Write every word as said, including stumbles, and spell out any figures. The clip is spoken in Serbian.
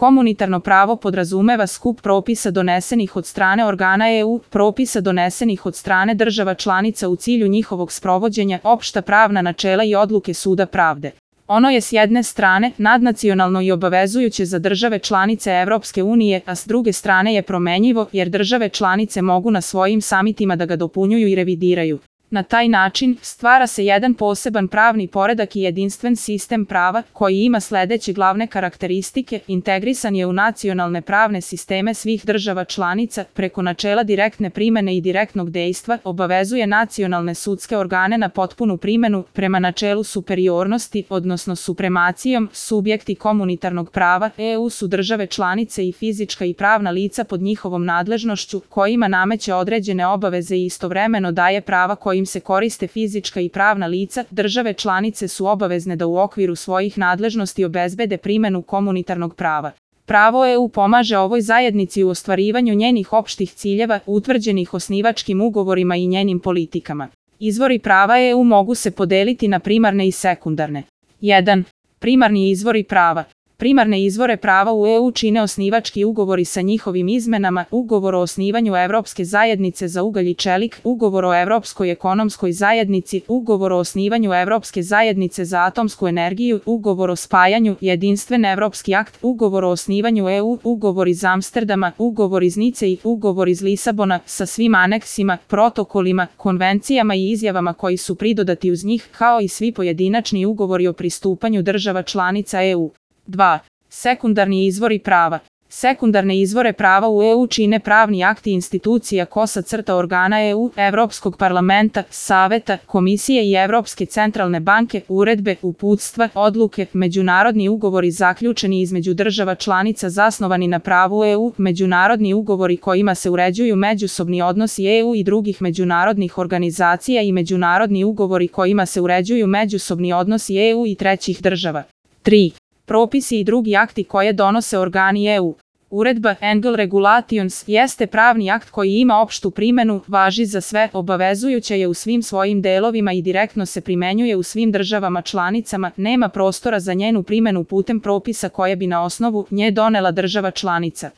Komunitarno pravo podrazumeva skup propisa donesenih od strane organa E U, propisa donesenih od strane država članica u cilju njihovog sprovođenja, opšta pravna načela i odluke Suda pravde. Ono je s jedne strane nadnacionalno i obavezujuće za države članice Evropske unije, a s druge strane je promenljivo jer države članice mogu na svojim samitima da ga dopunjuju i revidiraju. Na taj način stvara se jedan poseban pravni poredak i jedinstven sistem prava koji ima sledeće glavne karakteristike: integrisan je u nacionalne pravne sisteme svih država članica preko načela direktne primene i direktnog dejstva, obavezuje nacionalne sudske organe na potpunu primenu prema načelu superiornosti, odnosno supremacijom, subjekti komunitarnog prava E U su države članice i fizička i pravna lica pod njihovom nadležnošću kojima nameće određene obaveze i istovremeno daje prava kojim se koriste fizička i pravna lica. Države članice su obavezne da u okviru svojih nadležnosti obezbede primenu komunitarnog prava. Pravo E U pomaže ovoj zajednici u ostvarivanju njenih opštih ciljeva utvrđenih osnivačkim ugovorima i njenim politikama. Izvori prava E U mogu se podeliti na primarne i sekundarne. jedan. Primarni izvori prava. Primarne izvore prava u E U čine osnivački ugovori sa njihovim izmenama, ugovor o osnivanju Evropske zajednice za ugalj i čelik, ugovor o Evropskoj ekonomskoj zajednici, ugovor o osnivanju Evropske zajednice za atomsku energiju, ugovor o spajanju, jedinstven evropski akt, ugovor o osnivanju E U, ugovor iz Amsterdama, ugovor iz Nice i ugovor iz Lisabona sa svim aneksima, protokolima, konvencijama i izjavama koji su pridodati uz njih, kao i svi pojedinačni ugovori o pristupanju država članica E U. dva. Sekundarni izvori prava. Sekundarne izvore prava u E U čine pravni akti institucija kosa crta organa E U, Evropskog parlamenta, Saveta, Komisije i Evropske centralne banke, uredbe, uputstva, odluke, međunarodni ugovori zaključeni između država članica zasnovani na pravu E U, međunarodni ugovori kojima se uređuju međusobni odnosi E U i drugih međunarodnih organizacija i međunarodni ugovori kojima se uređuju međusobni odnosi E U i trećih država. tri. Propisi i drugi akti koje donose organi E U. Uredba Engel Regulations jeste pravni akt koji ima opštu primenu, važi za sve, obavezujuća je u svim svojim delovima i direktno se primenjuje u svim državama članicama, nema prostora za njenu primenu putem propisa koje bi na osnovu nje donela država članica.